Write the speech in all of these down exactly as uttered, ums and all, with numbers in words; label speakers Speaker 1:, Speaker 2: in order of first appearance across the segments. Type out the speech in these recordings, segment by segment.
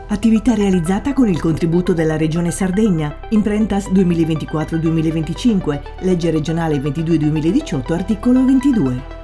Speaker 1: Attività realizzata con il contributo della Regione Sardegna, Imprentas duemilaventiquattro duemilaventicinque, legge regionale ventidue duemiladiciotto, articolo ventidue.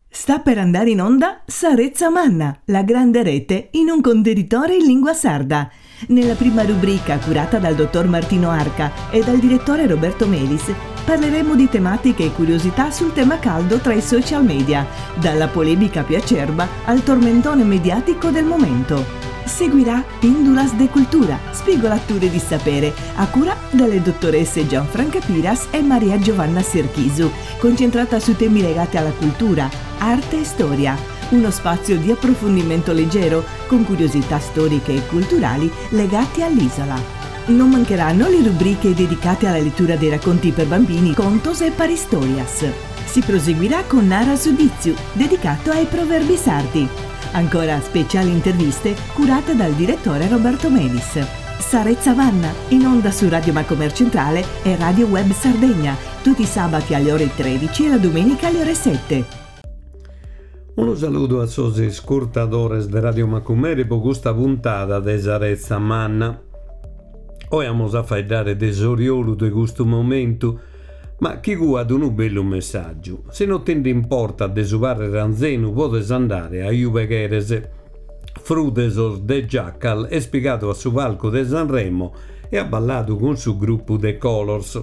Speaker 1: Sta per andare in onda Sa Retza Manna, la grande rete in un contenitore in lingua sarda. Nella prima rubrica, curata dal dottor Martino Arca e dal direttore Roberto Melis, parleremo di tematiche e curiosità sul tema caldo tra i social media, dalla polemica più acerba al tormentone mediatico del momento. Seguirà Pindulas de Cultura, spigolature di sapere, a cura delle dottoresse Gianfranca Piras e Maria Giovanna Serchisu, concentrata su temi legati alla cultura, arte e storia. Uno spazio di approfondimento leggero, con curiosità storiche e culturali legate all'isola. Non mancheranno le rubriche dedicate alla lettura dei racconti per bambini, contos e paristorias. Si proseguirà con Nara su Ditzu, dedicato ai proverbi sardi. Ancora speciali interviste curate dal direttore Roberto Melis. Sa Retza Manna, in onda su Radio Macomer Centrale e Radio Web Sardegna, tutti i sabati alle ore tredici e la domenica alle ore sette.
Speaker 2: Unu saludu a sos iscurtadores de Radio Macumere po custa puntada de Sa Retza Manna. Oe amus a faeddare de s'oriolu de custu momentu, ma chi cuat unu bellu messàgiu. Si no ti nd'importat de su pàrrere anzenu, podes andare a ube cheres. Fru de sos The Jackal est pigadu a su palcu de Sanremo e at balladu cun su grupu The Kolors.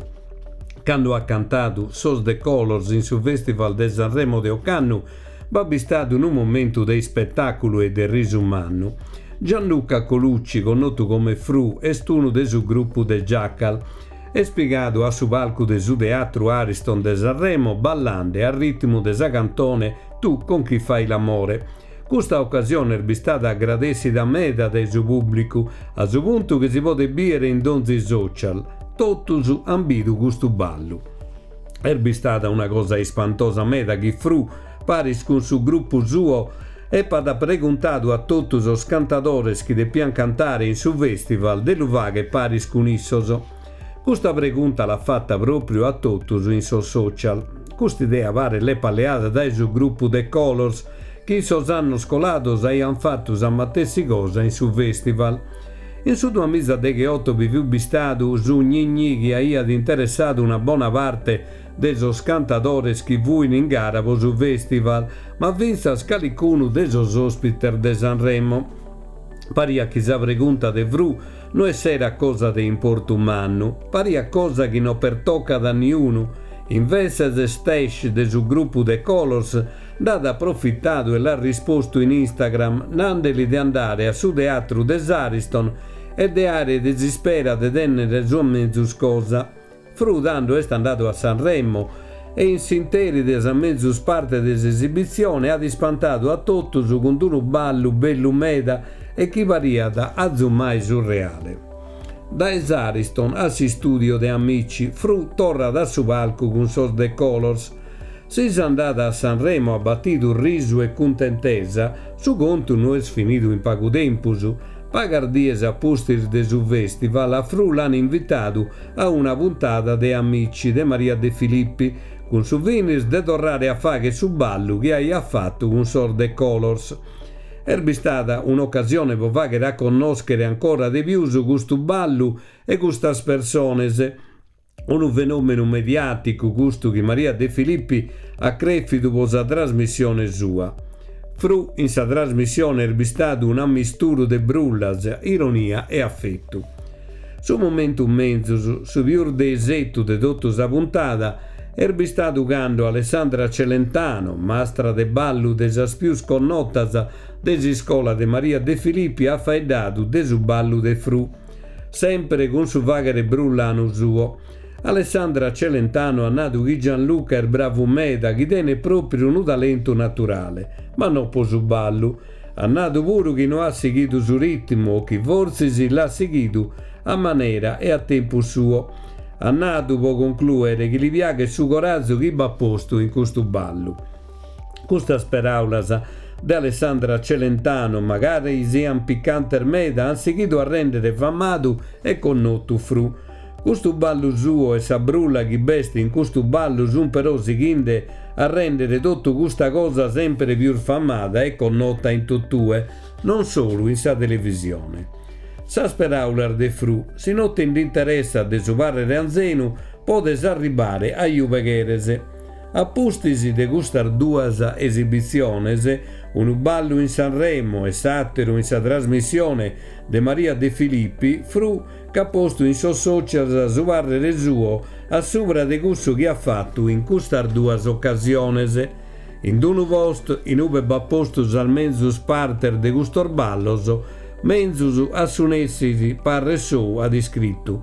Speaker 2: Cando at cantadu sos The Kolors in su Festival de Sanremo de ocannu, b'at bistadu unu momentu de ispetàculu e de risu mannu. Gianluca Colucci, connotu come Fru, est unu de su grupu The Jackal. Est pigadu a su palcu de su Teatru Ariston de Sanremo ballande a ritmu de sa cantone Tu con chi fai l'amore. Custa ocasione est bistada agradessida meda dae su pùblicu, a su puntu chi si podet bìdere in donzi social. Totus an bidu custu ballu. Est bistada una cosa ispantosa meda chi Fru, paris cun su grupu suo, epat preguntadu a totu sos cantadores chi depian cantare in su festival de lu fagher paris cun issos. Custa pregunta l'at fata pròpriu a totus in sos social. Custa idea paret l'epat leada dae su grupu The Kolors, chi in sos annos colados aian fatu sa matessi cosa in su festival. In su duamiza degheoto bi fiat bistadu su gni-gni chi aiat interessadu una bona parte de sos cantadores chi fuin in gara po su festival, ma fintzas calicunu de sos òspites de Sanremo. Pariat chi sa pregunta de Fru no esserat cosa de importu mannu, pariat cosa chi no pertocat a niunu. Invetzes Stash de su grupu The Kolors nd'at aprofitadu e l'at rispostu in Instagram, nandeli de andare a su teatru de s'Ariston e de àere de s'ispera de tènnere sa menzus cosa. Fru tando est andadu a Sanremo e in s'interi de sa menzus parte de s'esibitzione at ispantadu a totus cun unu ballu bellu meda e chi pariat azumai surreale. Dae s'Ariston a s'istùdio de Amici, Fru torrat a su palcu cun sos The Kolors. Si s'andada a Sanremo at batidu risu e cuntentesa, su contu no est finidu in pagu tempus. Pagas dies a pustis de su festival, a Fru l'an invitadu a una puntada de Amici de Maria De Filippi, cun su finis de torrare a fagher su ballu chi aiat fatu cun sos The Kolors. Est bistada un'ocasione po fagher a connòschere ancora de pius custu ballu e custas persones. Unu fenòmenu mediàticu custu chi Maria De Filippi at crèfidu po sa trasmissione sua. Fru in sa trasmissione est bistadu un'ammisturu de brullas, ironia e afetu. Su momentu menzus, su pius de isetu de totu sa puntada, est bistadu cando Alessandra Celentano, mastra de ballu de sas pius connotas de s'iscola de Maria De Filippi, at faeddadu de su ballu de Fru, sempre cun su fàghere brullanu suo. Alessandra Celentano at nadu chi Gianluca est bravu meda, chi tenet pròpriu unu talentu naturale, ma no po su ballu. At nadu puru chi no at sighidu su ritmu o chi fortzis l'at sighidu a manera e a tempus suo. At nadu, po conclùere, chi li piaghet su corazu chi b'at postu in custu ballu. Custas peràulas de Alessandra Celentano, magari sian picantes meda, an sighidu a rèndere famadu e connotu Fru. Custu ballu suo e sa brulla chi b'est in custu ballu sun però sighinde a rèndere totu custa cosa sempre pius famada e connota in totue, Non solu in sa televisione. Sas peraulas de Frù, si no ti nd'interessat de su pàrrere anzenu, podes arribare a ube cheres. A pustis de custas duas esibitziones, unu ballu in Sanremo e s'àteru in sa trasmissione de Maria De Filippi, Frù ch'at postu in sos social su pàrrere suo a subra de cussu chi at fatu in custas duas ocasiones. In unu post in ube b'at postu sas menzus partes de custos ballos, menzus a su nessi parre sou at iscritu.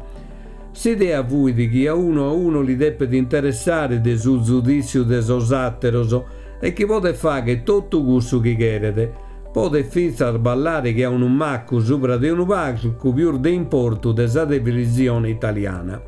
Speaker 2: S'idea fuit chi a unu a unu li depet interessare de su zudìtziu de sos àteros e chi podet fàghere totu cussu chi cheret. Podet fintzas ballare che a unu maccu subra de unu palcu pius de importu de sa televisione italiana.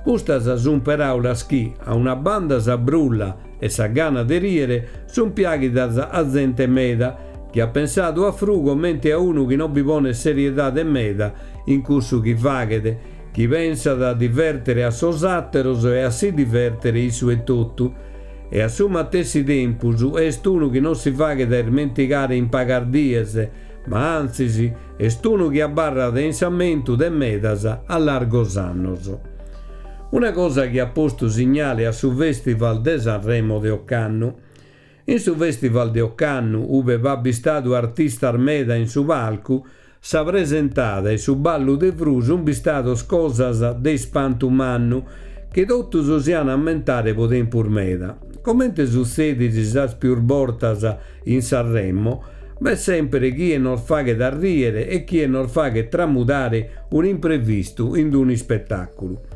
Speaker 2: Custas sunt peraulas chi, a una banda sa brulla e sa gana de riere, sunt piàghidas a zente meda, chi at pensadu a Frù comente a unu chi non bi ponet seriedade meda in cussu chi faghet, chi pensat a divèrtere a sos àteros e a si divèrtere issu etotu. E a su matessi tempus est unu chi non si faghet a ismentigare in pagas dies, ma antzis est unu chi abarrat in s'ammentu de medas a largos annos. Una cosa chi at postu signale a su Festival de Sanremo de ocannu. In su Festival de ocannu, ube b'at bistadu artistas meda in su palcu, sa presentada e su ballu de Frù sunt bistados cosas de ispantu mannu, chi totus si an a ammentare pro tempus meda. Comente sutzedit sas pius bortas in Sanremo, b'est semper chie nos faghet a riere e chie nos faghet tramudare un'imprevistu in un'ispetàculu.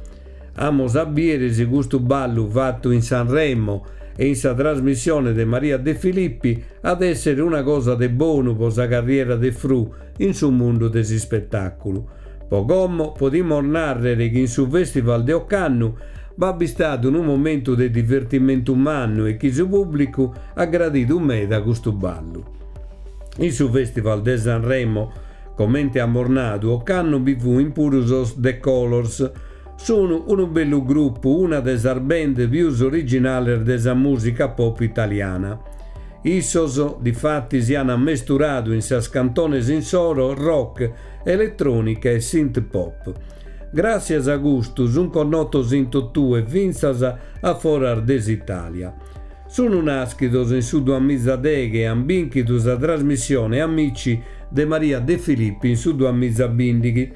Speaker 2: Amos a bìdere si custu ballu fatu in Sanremo e in sa trasmissione de Maria De Filippi at èssere una cosa de bonu pro sa carriera de Frù in su mundu de s'ispetàculu. Po como podimus nàrrere chi in su Festival de ocannu b'at bistadu unu momentu de divertimentu mannu e chi su pùblicu at gradidu meda custu ballu. In su Festival de Sanremo, comente amus nadu, ocannu bi fuint puru sos The Kolors. Sunu unu bellu grupu, una de sas band pius originales de sa mùsica pop italiana. Issos, difatis, an ammesturadu in sas cantones insoro rock, eletrònica e synth pop. Gràtzias a custu sunt connotos in totue, fintzas a foras de s'Itàlia. Sunu nàschidos in su duamizadeghe e an bìnchidu sa trasmissione Amici de Maria De Filippi in su duamizabìndighi.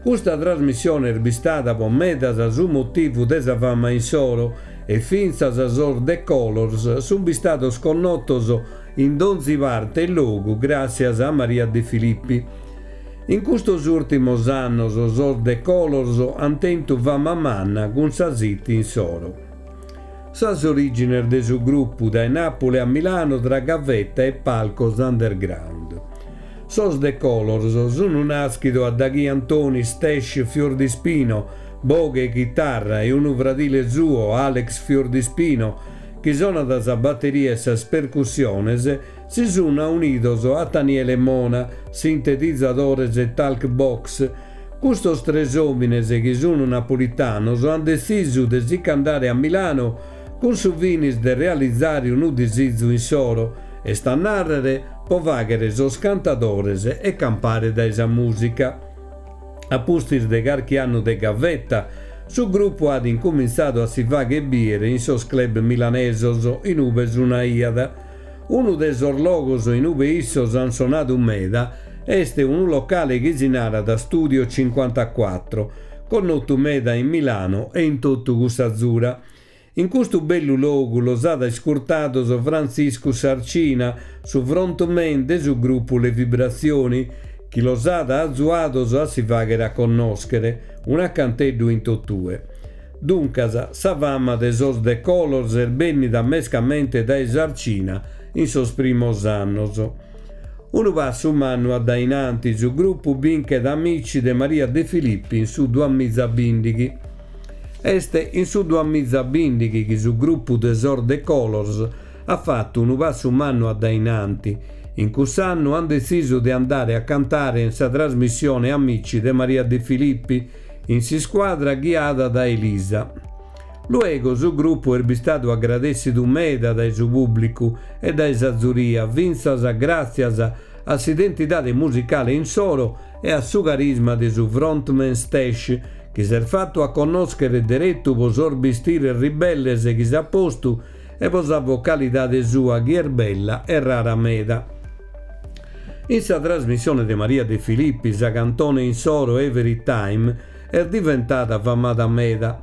Speaker 2: Custa trasmissione est bistada pro medas su motivu de sa fama insoro e fintzas sos The Kolors sunt bistados connotos in donzi parte e logu gràtzias a Maria De Filippi. In custos ùrtimos annos sos The Kolors ant tentu fama manna cun sas hit insoro. Sas orìgines de su grupu dae Nàpule a Milano tra gavetta e palcos underground. Sos The Kolors sunt nàschidos a daghi Antoni Stash Fiordispino, boghe e chitarra, e unu fradile suo, Alex Fiordispino, chi sonat sa bateria e sas percussiones, si sunt aunidos a Taniele Mona, sintetizadores e talk box. Custos tres òmines, chi sunt napolitanos, ant detzisu de si ch'andare a Milano cun su finis de realizare unu disizu insoro, est a nàrrere pro fàghere sos cantadores e campare dae sa mùsica. A pustis de carchi annu de gavetta, su grupu at incumintzadu a si fàghere bìdere in sos club milanesos in ube sonaiat. Unu de sos logos in ube issos ant sonadu meda est unu locale chi si narat Studio cinquantaquattro, connotu meda in Milano e in totu cussa zura. In custu bellu logu los at iscurtados Frantziscu Sarcina, su frontman de su grupu Le Vibrazioni, chi los at azuados a si fàghere a connòschere, un'acanteddu in totue. Duncas, sa fama de sos The Kolors est bènnida mescamente dae Sarcina in sos primos annos. Unu passu mannu a dae in antis, su grupu binchet Amici de Maria De Filippi in su duamizabìndighi. Est in su duamizabìndighi chi su grupu de sos The Kolors at fatu unu passu mannu a dae in anti. In cuss'annu ant detzisu de andare a cantare in sa trasmissione Amici de Maria De Filippi, in s'iscuadra ghiada dae Elisa. Luego su grupu est bistadu agradèssidu meda dae su pùblicu e dae sa zuria, fintzas gràtzias a s'identidade musicale insoro e a su carisma de su frontman Stash, chi s'est fattu a connoschere derettu po sos bistires ribelles chi s'at postu e po sa vocalidade sua chi est bella e rara meda. In sa trasmissione de Maria De Filippi, sa cantone insoro Every Time est diventada famada meda.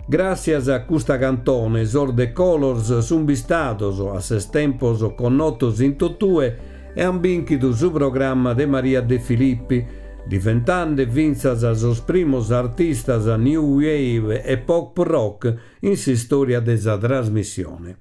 Speaker 2: Gràssias a custa cantone, sos The Kolors sun bistados, a ses tempos connotos in totue e han bìnchidu su programma de Maria De Filippi, diventande fintzas sos primos artistas new wave e pop rock in s'istoria de sa trasmissione.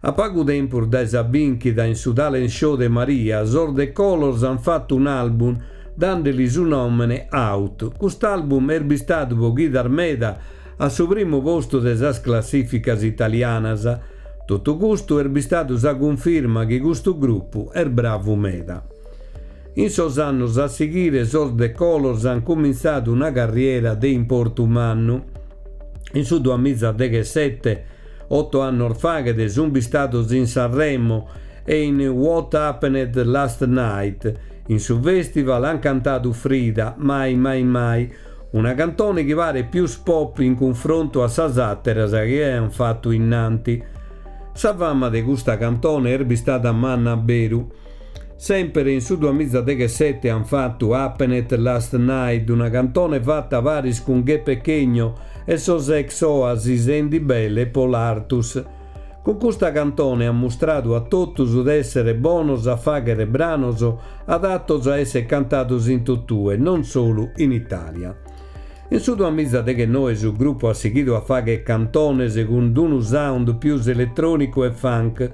Speaker 2: A pagu tempus dae sa bìnchida in su talent show de Maria, sos The Kolors han fattu un'album dandeli su nòmene Out. Cust'album est bistadu po chidas meda a su primu postu de sas classificas italianas. Totu custu est bistadu sa cunfirma chi custu gruppu est bravu meda. In sos annos a sighire sos The Kolors han cumintzadu una carriera de importu mannu. In su duamizadechesete, otto annos faghet, sun bistados in Sanremo e in What Happened Last Night. In su festival han cantadu Frida, Mai Mai Mai, una cantone chi paret pius pop in cunfrontu a sas àteras chi aian fattu innanti. Sa fama de custa cantone est bistada manna beru. Sempre in su duamizadechesete han fattu Happened Last Night, una cantone fatta paris cun Gué Pequeño e sos ex Oasis Andy Bell e Paul Artus. Cun custa cantone han mustradu a totus de essere bonos a faghere branos adattos a essere cantados in totue, non solu in Italia. In su duamizadechenoe su gruppu at sighidu a faghere cantones cun unu sound pius elettronicu e funk.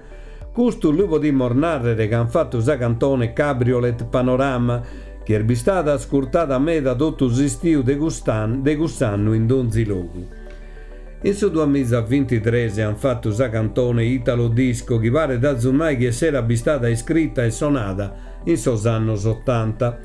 Speaker 2: Custu lu podimos narrere ca han fattu sa cantone Cabriolet Panorama, chi est bistada ascurtada meda totu s'istiu de cust'an de cuss'annu in donzi logu. In su duamizavintidres han fattu sa cantone Italo Disco, chi paret azumai chi esserat bistada iscritta e sonada in sos annos ottanta.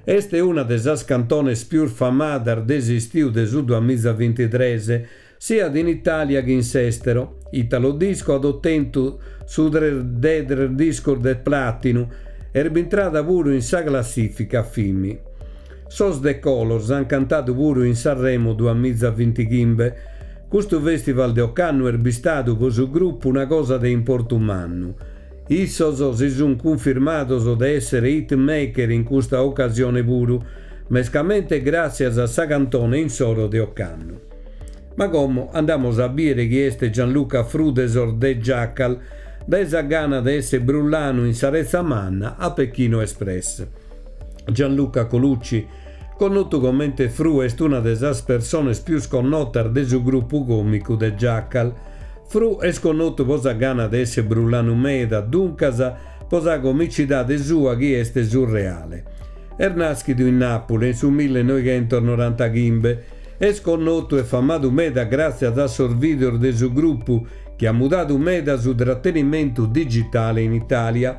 Speaker 2: Est una de sas cantones pius famadas de s'istiu de su duamizavintidres, siat in Italia chi in s'estero. Italo Disco at ottentu su tres de tres discos de platinu e est bintrada puru in sa classifica FIMI. Sos The Kolors han cantadu puru in Sanremo duamizavintighimbe. Custu festival de ocannu est bistadu po su gruppu una cosa de importu mannu. Issos si sun cunfirmados de essere hitmaker in custa occasione puru, mescamente gràssias a sa cantone insoro de ocannu. Ma como andamos a bìere chi est Gianluca Fru de sos The Jackal, dae sa gana de essere brullanu in sa Retza Manna a Pechino Express. Gianluca Colucci, connotu comente Fru, est una de sas persones pius connotas de su gruppu còmicu The Jackal. Fru est connotu po sa gana de essere brullanu meda, duncas po sa comicidade sua chi est surreale. Est nàschidu in Nàpule in su millenoighentonorantaghimbe. Est connotu e famadu meda gràtzias a sos videos de su gruppu chi at mudadu meda su trattenimentu digitale in Italia.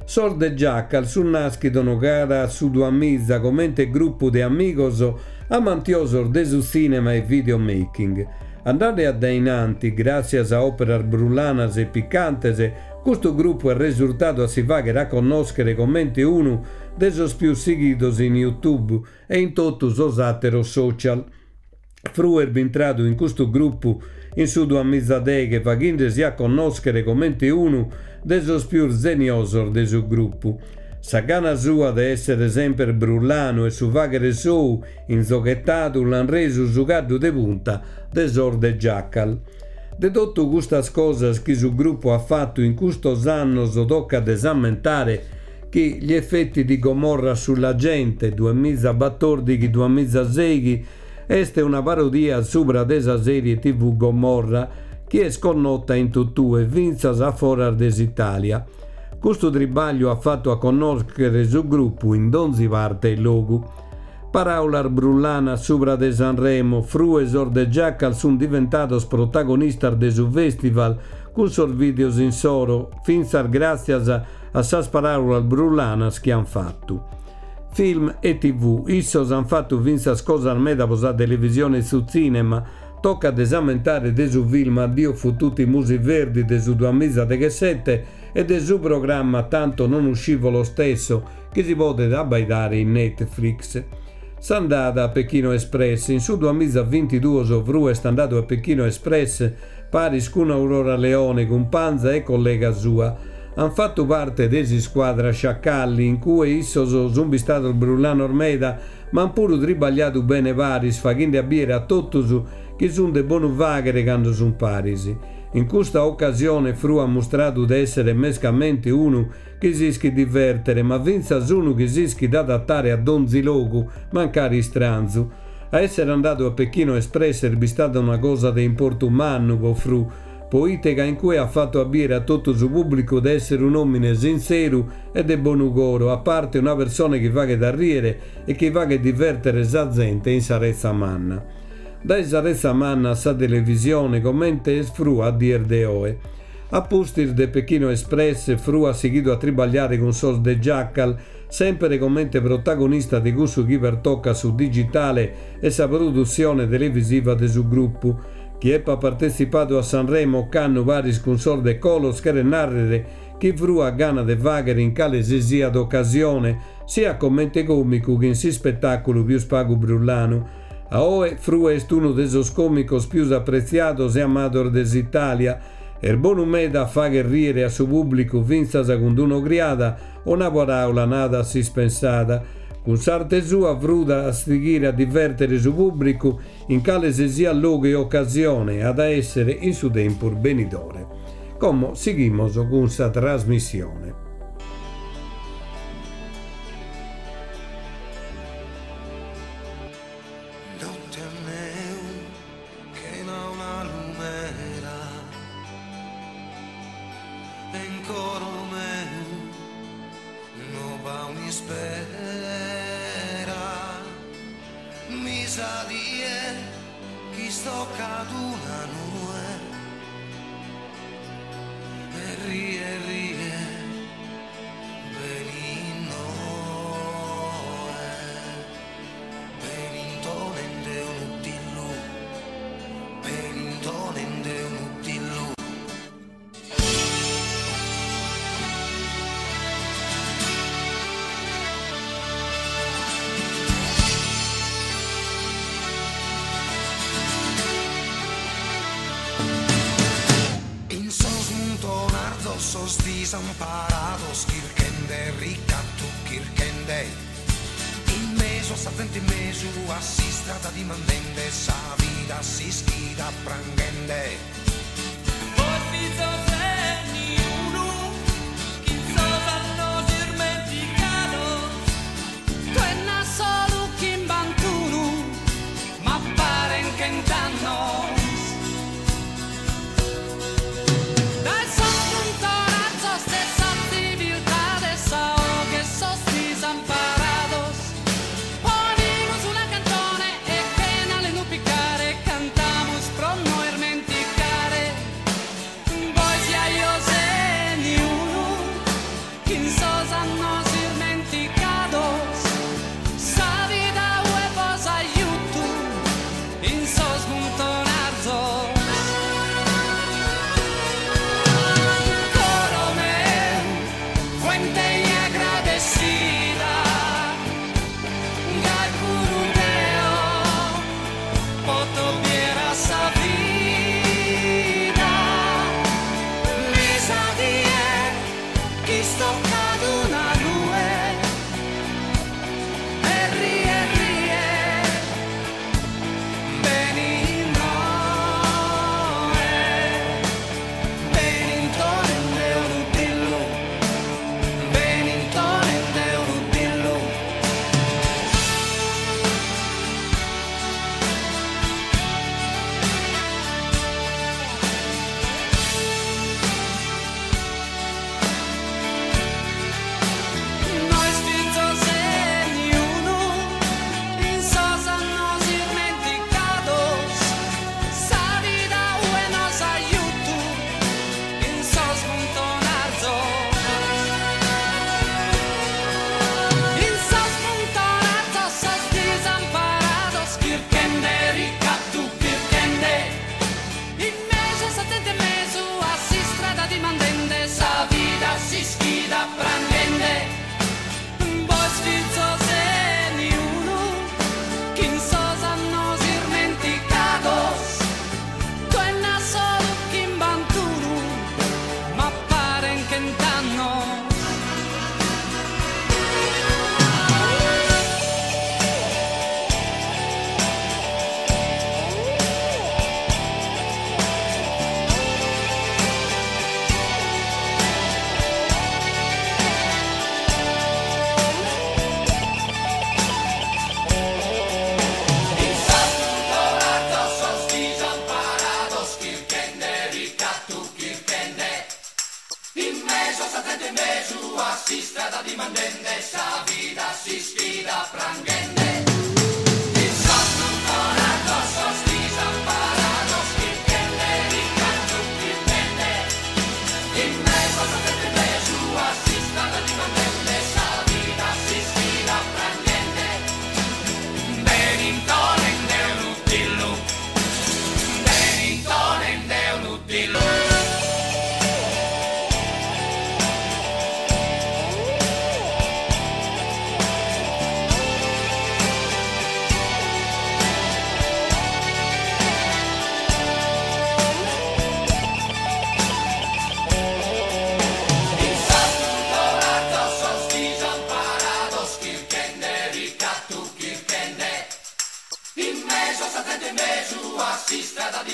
Speaker 2: Sos The Jackal sun nàschidos cara a su duamiza comente gruppu de amigos amantiosos de su tzìnema e videomaking. Andande a dainanti, gràtzias a òperas brullanas e picantes, custu gruppu est resurtadu a si faghere a connòschere comente unu de sos pius sighidos in YouTube e in totu sos àteros social. Fru est bintradu in custu gruppu in su duamizadeghe, faghende-si a connòschere comente unu de sos pius zeniosos de su gruppu. Sa gana sua de essere semper brullanu e su faghere sou inzoghetadu l'han resu su caddu de punta de sos The Jackal. De totu custas cosas chi su gruppu at fattu in custos annos tocat de s'ammentare chi Gli effetti di Gomorra sulla gente duamizabatòrdighi duamizaseighi est una parodia subra de sa serie T V Gomorra, chi est connota in totue, fintzas a foras de s'Italia. Custu tribagliu at fattu a connòschere su gruppu in donzi parte e logu. Paraulas brullanas subra de Sanremo, Fru e sos The Jackal sun diventados protagonistas de su festival cun sos videos insoro, fintzas gràtzias a sas paraulas brullanas chi han fattu. Film e T V, issos han fattu fintzas cosas meda po sa televisione e su tzìnema. Tocat de s'ammentare de su film Addio fottuti musi verdi de su duamizadechesete e de su programma Tanto non uscivo lo stesso, chi si podet abbaidare in Netflix. S'andada a Pechino Express. In su duamiza vintidue Frue est andadu a Pechino Express paris cun Aurora Leone, cumpanza e collega sua. Han fattu parte de s'isquadra Sciacalli, in cui issos sun bistados brullanos meda, ma han puru tribagliadu bene paris, faghende a biere a totus chi sun de bonu faghere cando sun paris. In custa occasione Frue at mustradu de essere mescamente unu chi s'ischit divertere, ma fintzas unu chi s'ischit adattare a donzi logu, mancari istranzu. A essere andadu a Pechino Express est bistada una cosa de importu mannu po Frue, poite ca in cue at fattu a biere a totu su pubblicu de essere un omine sintzeru e de bonu coro, a parte una persone chi faghet a riere e chi faghet divertere sa zente in sa retza manna. Dae sa retza manna a sa televisione, comente est Frue a dies de oe. A pustis de Pechino Express, Frue at sighidu a tribagliare cun sos The Jackal, sempre comente protagonista de cussu chi pertocat su digitale e sa produtzione televisiva de su gruppu. Chi epat partetzipadu a Sanremo ocannu paris cun sos The Kolors cheret narrere chi Frue at gana de faghere in cale si siat occasione, sia comente comicu chi in s'ispettaculu pius pagu brullanu. A oe Frue est unu de sos comicos pius apretziados e amados de s'Italia. Est bonu meda a fagher riere a su pubblicu fintzas cun d'un'ogriada o una paraula nada a s'ispensada. Cun s'arte sua Frue at a sighire a divertere su pubblicu in cale si siat logu e occasione at a essere in su tempus benidore. Como sighimos cun sa trasmissione.
Speaker 3: Notte meu chena una lumera e in coro meu no b'at un'ispera. Mi sa die chi istoccat una nue e rie rie benit noe, benintonende unu dillu, benintonende unu dillu. In sos muntonarzos sos disamparados chirchende ricattu, chirchende in mesu a sa zente, in mesu a s'istrada, dimandende sa vida, s'ischida pranghende.
Speaker 4: Bois fizos 'e niunu chin sos annos irmenticados.
Speaker 5: Tue n'as solu chimbantunu, ma paren chent'annos. Dae sos muntonarzos de sa ziviltade sa 'oghe 'e sos disamparados. Ponimus una cantone e chena alenu picare cantamus pro no irmenticare. Bois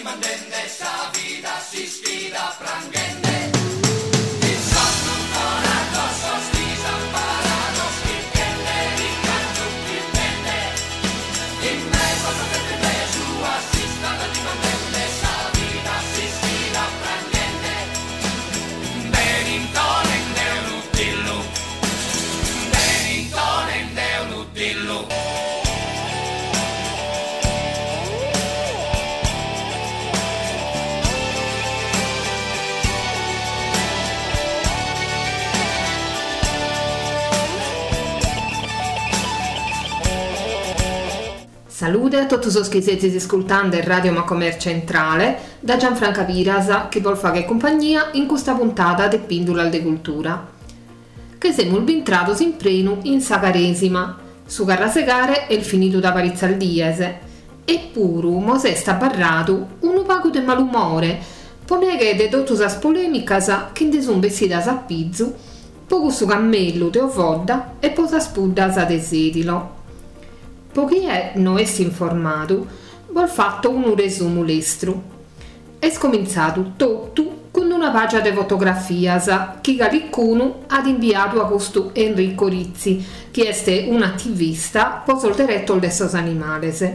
Speaker 4: dimandende sa vida s'ischida pranghende. In sos muntonalzos sos disamparados chirchende ricattu chirchende. In mesu a sa zente in mesu a s'istrada dimandende sa vida s'ischida pranghende. Benintonende unu dillu, benintonende unu dillu.
Speaker 6: Salude a totu sos chi sezis iscultande Radio Macomer Centrale da Gianfranca Piras chi bos faghet cumpagnia in custa puntada de Pìndulas de Cultura. Che semus bintrados in prenu in sa Caresima, su carrasegare est finidu da paritzas dies, eppuru mos est abarradu unu pagu de malumore po neghe de totu sas polèmicas chi nde sun bessidas a pizu po cussu cammellu de Ovodda e po sas puddas de Sedilo. Po chie no est informadu, bos fatto unu resumu lestru. Est comintzadu totu cun una pàgia de fotografias chi calicunu at imbiadu a custu Enrico Rizzi, chi est un'ativista po sos deretos de sos animales.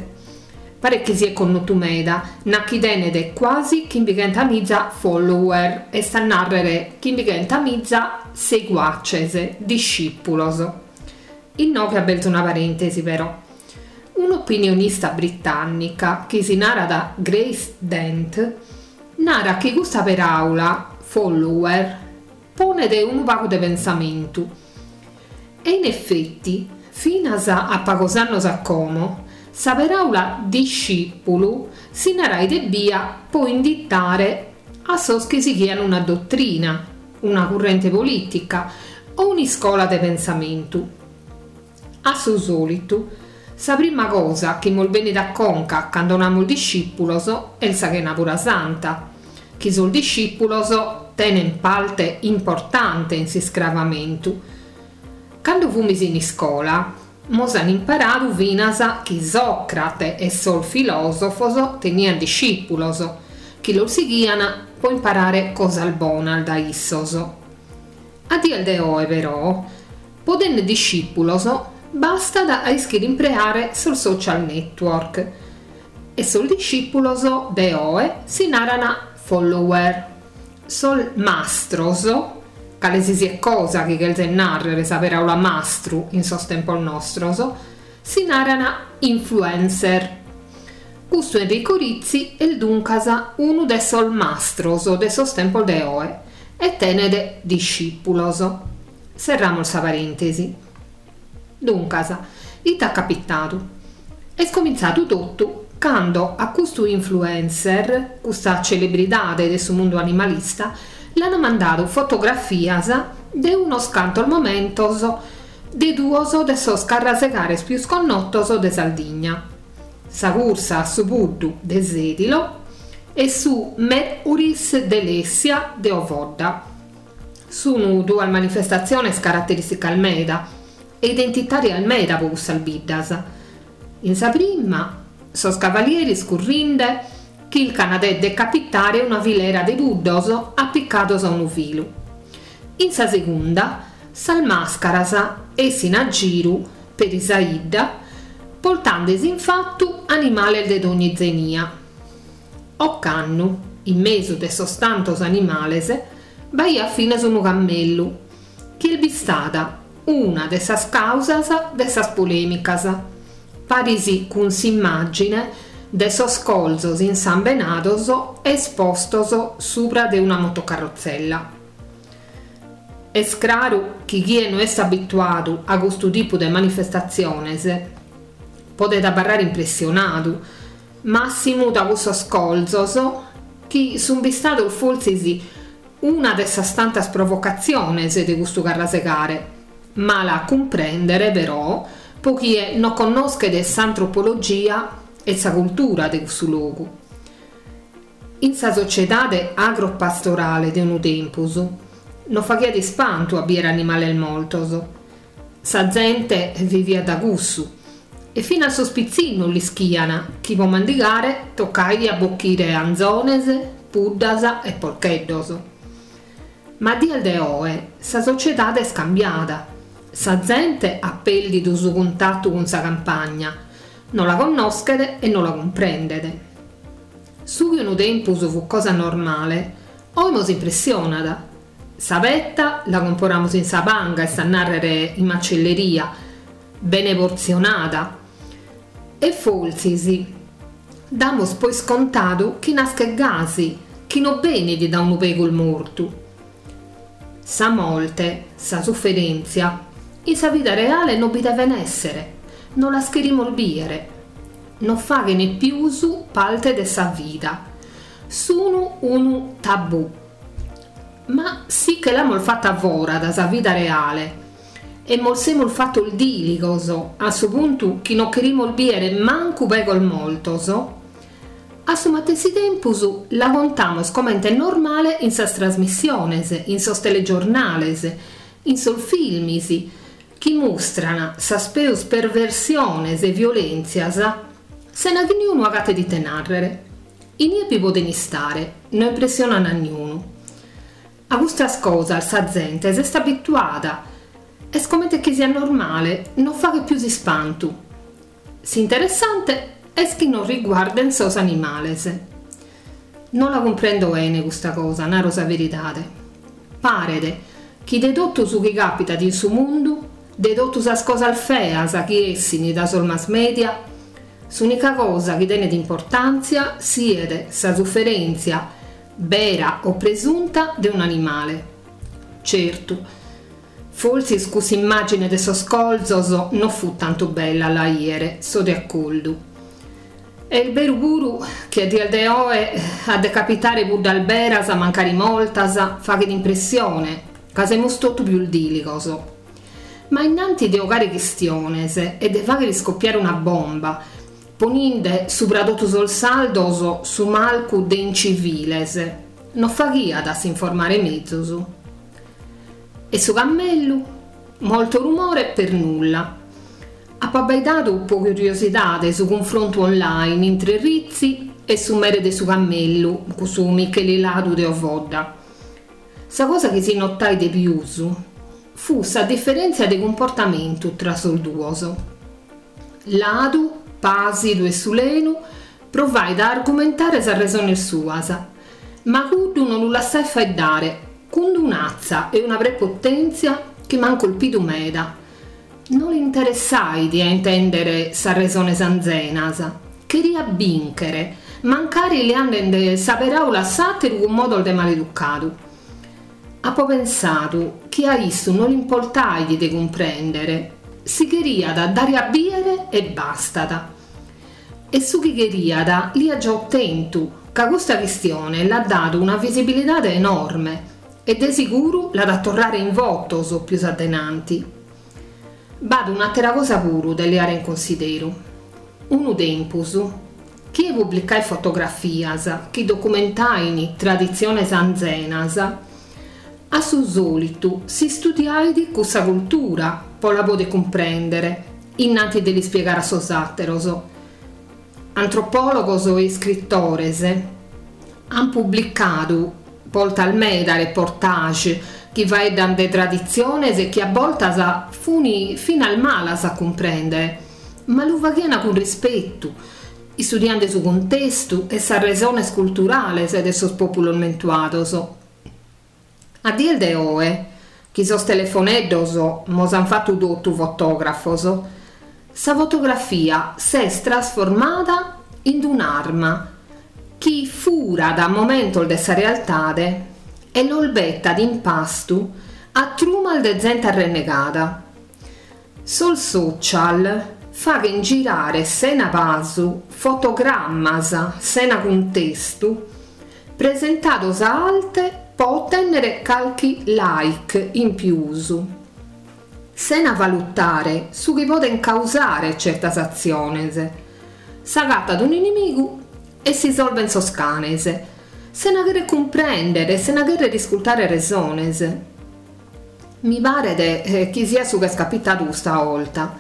Speaker 6: Paret chi siet connotu meda, nachi tenet quasi chimbighentamiza follower, est a nàrrere chimbighentamiza seguaces, discìpulos. Inoghe aberzo una parèntesi però. Un'opinionista britànnica chi si narat Grace Dent narat chi custa peràula, follower, ponet unu pagu de pensamentu. E in effetti, finas a pagos annos a como, sa peràula discìpulu si narait ebbia po inditare a sos chi sighian una dottrina, una currente polìtica o un'iscola de pensamentu. A su sòlitu, sa prima cosa chi mos benit a conca cando namus discìpulos est sa Chenàbura Santa, chi sos discìpulos tenen parte importante in s'iscravamentu. Cando fumis in iscola, mos an imparadu finas chi Sòcrate e sos filòsofos tenian discìpulos, chi los sighian po imparare cosas bonas da issos. A dies de oe, però, po tenner discìpulos bastat a ischire impreare sos social network e sos discìpulos de oe si naran follower. Sos mastros, cale si siet cosa chi cherzet nàrrere sa peràula mastru in sos tempos nostros, si naran influencer. Custu Enrico Rizzi est duncas unu de sos mastros de sos tempos de oe e tenet discìpulos. Serramos sa parèntesi. Duncas, ite at capitadu? Est comintzadu totu cando a custu influencer, custa celebridade de su mundu animalista, l'an mandadu fotografias de unos cantos momentos de duos de sos carrasegares pius connotos de Sardigna, sa cursa a su puddu de Sedilo e su Mercuris de Lessia de Ovodda. Sunu duas manifestatziones caraterìsticas meda e identitàrias meda po cussas biddas. In sa prima, sos cavalieris currinde chircan de decapitare una filera de puddos apicados a unu filu. In sa segunda, sas màscaras essin a giru peri sa 'idda, portandesi in fatu animales de dogni zenia. Ocannu, in mesu de sos tantos animales, b'aiat finas unu cammellu, chi est bistada una de sas causas de sas polèmicas, paris cun s'immàgine de sos colzos insambenados espostos subra de una motocarrotzella. Est craru chi chie no est abituadu a custu tipu de manifestatziones podet abarrare impressionadu, màssimu da cussos colzos chi sun bistados fortzis una de sas tantas provocatziones de custu carrasegare, mala a cumprèndere però po chie no connoschet s'antropologia e sa cultura de cussu logu. In sa sociedade agropastorale de unu tempus no faghiat ispantu a bìere animales mortos. Sa zente viviat da cussu. E finas sos pitzinnos l'ischian chi po mandigare toccaiat a bocchire anzones, puddas e porcheddos. Ma a dies de oe sa sociedade est cambiada. Sa zente at pèrdidu su cuntatu cun sa campagna, no la connoschet e no la cumprendet. Su chi unu tempus fut cosa normale, oe nos impressionat. Sa petta la comporamus in sa panga, est a nàrrere in macelleria, bene portzionada. E fortzis damus po iscontadu chi naschet gasi, chi no benit da unu pegus mortu. Sa morte, sa suferèntzia, in sa vida reale no bi deven èssere, no las cherimus bìere, no faghen pius parte de sa vida, sun unu tabù. Ma si che l'amus fata fora da sa vida reale e mos semus fatos dìligos a su puntu chi no cherimus bìere mancu pegos mortos, a su matessi tempus la contamus comente normale in sas trasmissiones, in sos telegiornales, in sos filmis, chi mustran sas peus perversiones e violèntzias sena chi niunu agatet ite nàrrere. Inie bi poden istare, no impressionan a niunu. A custas cosas sa zente s'est abituada, est comente chi siat normale, no faghet pius ispantu. S'interessante est chi non riguarden sos animales. No la cumprendo bene custa cosa, naro sa veridade. Paret chi de totu su chi capitat in su mundu, de totu sas cosas feas chi essin da sos mass media, s'ùnica cosa chi tenet importantzia siet sa suferèntzia, bera o presunta, de un'animale. Certu, fortzis cuss'immàgine de sos colzos no fut tantu bella a la 'ìere, so de acordu. Est beru puru chi a dies de oe a decapitare puddas beras, mancari mortas, faghet impressione, ca semus totu pius dìligos. Ma innanti de 'ogare chistiones e de fàghere iscopiare una bomba, poninde subra totu sos sardos su marcu de inciviles, no faghiat a s'informare mezus? E su cammellu? Molto rumore per nulla. Apo abbaidadu po curiosidade su cunfrontu online intre Rizzi e su mere de su cammellu, cussu Micheli Ladu de Ovodda. Sa cosa chi si notait de pius fut sa diferèntzia de cumportamentu tra sos duos. Ladu, pàsidu e sulenu, provait a argumentare sas resones suas, ma cuddu non lu lassait faeddare, cun un'atza e una prepotèntzia chi m'ant colpidu meda. No l'interessait a intèndere sas resones anzenas, cheriat bìnchere, mancari leande sa peràula a s'àteru cun modos de maleducadu. Apo pensadu chi a issu no l'importait de cumprèndere, si cheriat dare a bìere e bastat. E su chi cheriat l'aiat già otentu, ca custa chistione l'at dadu una visibilidade enorme e de siguru l'at a torrare in votos pius a denanti. B'at un'àtera cosa puru de leare in consideru. Unu tempus, chie publicait fotografias chi documentain traditziones anzenas, a su sòlitu s'istudiait cussa cultura po la poder cumprèndere, innanti de l'ispiegare a sos àteros. Antropòlogos e iscritores ant publicadu bortas meda reportage chi faeddan de traditziones chi a bortas funi finas malas a cumprèndere, ma lu faghian cun rispetu, istudiende su cuntestu e sas resones culturales de sos pòpulos mentuados. A dies de oe, chi sos telefoneddos mos ant fatu totu fotògrafos, sa fotografia s'est trasformada in un'arma chi furat momentos de sa realtade e los betat in pastu a trumas de zente arrennegada. Sos social faghen girare sena pasu fotogrammas sena cuntestu presentados a arte po otènnere calchi like in pius, sena valutare su chi poden causare certas atziones. S'agatat un'inimigu e si solven sos canes, sena cherrer cumprèndere, sena cherrer iscultare resones. Mi paret chi siat su ch'est capitadu custa 'olta.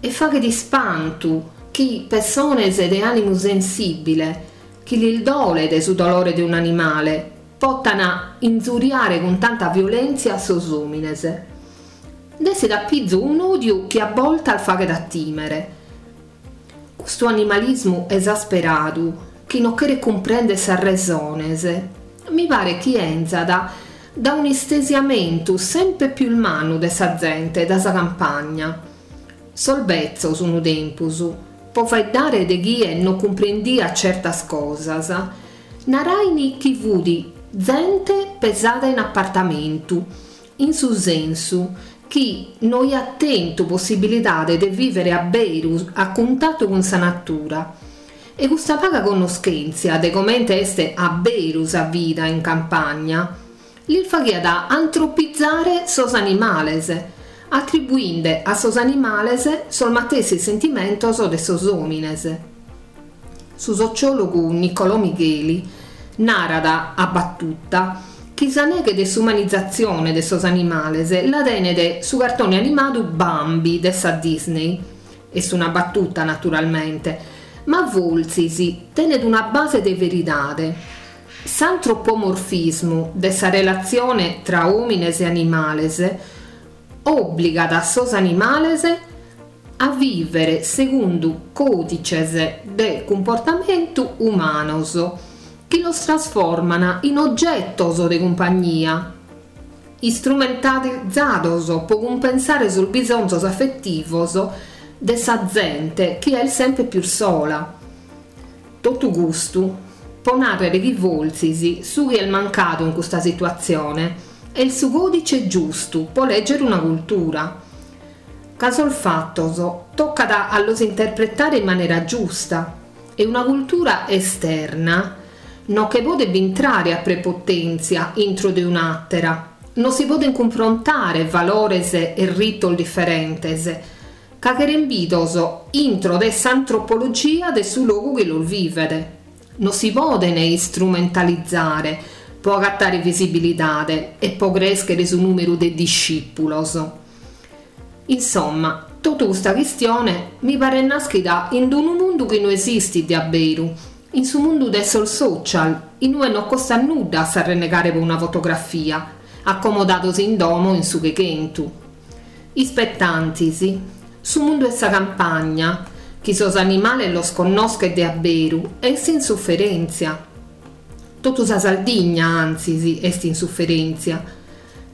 Speaker 6: E faghet ispantu chi pessones de ànimu sensìbile, chi lis dolet su dolore de un'animale, potan inzuriare cun tanta violèntzia sos òmines. Nd'essit a pizu un'òdiu chi a boltas faghet a tìmere. Custu animalismu esasperadu, chi no cheret cumprèndere sas resones, mi paret chi 'enzat da un'istesiamentu semper pius mannu de sa zente da sa campagna. Sos betzos unu tempus, po faeddare de chie no cumprendiat certas cosas, narain chi fut zente pesada in apartamentu, in su sensu chi no aiat tentu possibilidade de vìvere a beru a cuntatu cun sa natura. E custa paga connoschèntzia de comente est a beru sa vida in campagna lis faghiat antropizare sos animales, atribuinde a sos animales sos matessi sentimentos de sos òmines. Su sociòlogu Nicolò Migheli narat a battuta chi sa neghe de s'umanizatzione de sos animales la tenet su cartone animadu Bambi de sa Disney. Est una battuta naturalmente, ma fortzis tenet una base de veridade. S'antropomorfismu de sa relatzione tra òmines e animales òbligat sos animales a vìvere segundu còdices de cumportamentu umanos chi los trasforman in ogetos de cumpagnia, istrumentalizados pro cumpensare sos bisonzos afetivos de sa zente chi est semper pius sola. Totu custu pro nàrrere chi fortzis su chi est mancadu in custa situatzione est su còdice giustu pro lègere una cultura. Ca sos fatos tocat a los interpretare in manera giusta e una cultura esterna no che podet bintrare a prepotèntzia intro de un'àtera, no si podent cunfrontare valores e ritos diferentes, ca cheren bidos intro de s'antropologia de su logu chi los vivet. No si podent istrumentalizare pro agatare visibilidade e pro crèschere su nùmeru de discìpulos. Insomma, totu custa chistione mi paret nàschida in unu mundu chi no esistit de a beru, in su mundu de sos social, in ue no costat nudda a s'arrennegare pro una fotografia, acomodados in domo in su cheghentu. Ispetantis, su mundu 'e sa campagna, chi sos animales los connoschet de a beru, est in suferèntzia. Totu sa Sardigna, antzis, est in suferèntzia.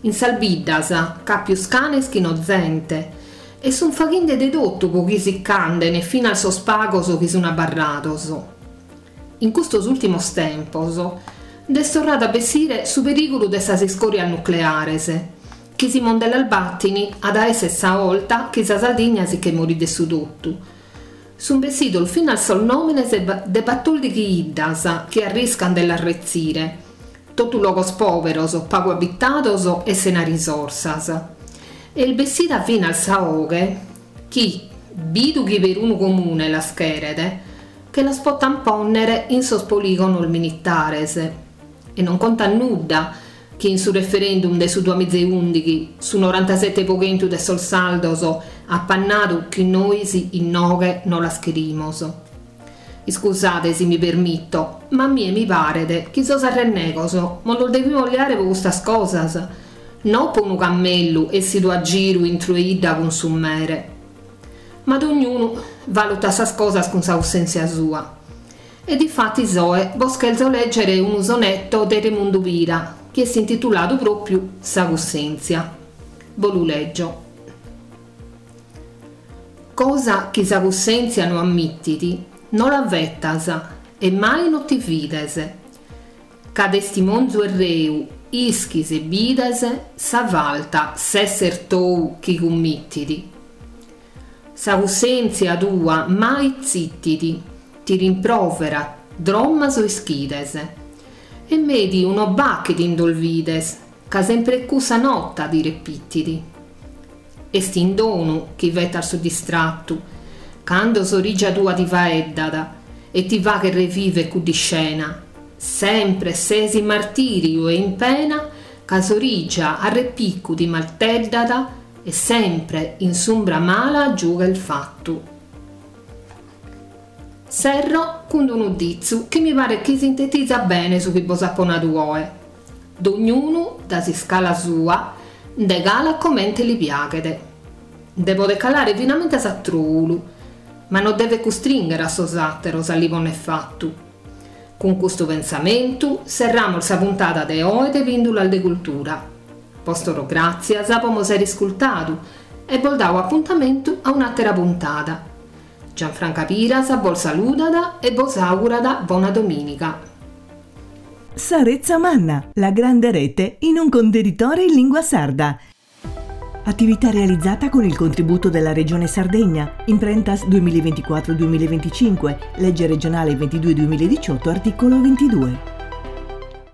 Speaker 6: In sas biddas ch'at pius canes chi no zente e sun faghende de totu pro chi si ch'anden finas sos pagos chi sun abarrados. In custos ùrtimos tempos nd'est torradu a bessire su perìgulu de sas iscòrias nucleares, chi si non nde las batin at a èssere sa 'olta chi sa Sardigna si che morit de su totu. Sun bessidos finas sos nòmenes de batòrdighi 'iddas chi arriscan de las retzire, totu logos pòberos, pagu abitados e sena risorsas. E est bessida finas sa 'oghe chi, bidu chi perunu comune las cheret, che las potan pònnere in sos polìgonos militares. E non contat nudda chi in su referendum de su duamiza e ùndighi su norantasete po chentu de sos sardos apat nadu chi nois inoghe no las cherimos. Iscusade si mi permito, ma a mie mi paret chi sos arrennegos mos los devimos leare po custas cosas, no po unu cammellu essidu a giru intro 'e 'idda cun su mere. Ma dognunu valutat sas cosas cun sa cussèntzia sua. E difatis oe bos cherzo lègere unu sonetto de Remundu Pira, chi est intituladu pròpiu Sa cussèntzia. Bo lu lègio. Cosa chi sa cussèntzia no ammitit, no la fetas e mai no ti fides. Ca testimonzu e reu ischis e bides sa falta s'esser tou chi cummitit. Sa cussèntzia tua mai zittit, ti rimproverat, drommas o ischides. E mèdiu no b'at chi t'indolvides, ca sempre cussa nota ti repitit. Est in donu chi fetas su distrattu, cando s'origia tua ti faeddat e ti faghet reviver cudd'iscena. Sempre ses in martìriu e in pena, ca s'origia a repiccu ti marteddat E sempre in s'umbra mala giughe fattu. Serro cun unu ditzu chi mi paret chi sintetizat bene su chi bos apo nadu oe. Dognunu, da s'iscala sua, nde calat comente li piaghet. Nde podet calare finamentas a trulu, ma no devet custringhere a sos àteros a li ponner fattu. Cun custu pensamentu serramos sa puntada de oe de Pìndulas de Cultura. Bos torro gràtzias po mos aer iscultadu e bos dao apuntamentu a un'àtera puntada. Gianfranca Piras bos saludat e bos augurat bona domìniga.
Speaker 1: Sa Retza Manna, la grande rete in un contenitore in lingua sarda. Attività realizzata con il contributo della Regione Sardegna, Imprentas duemilaventiquattro duemilaventicinque, legge regionale ventidue duemiladiciotto, articolo ventidue.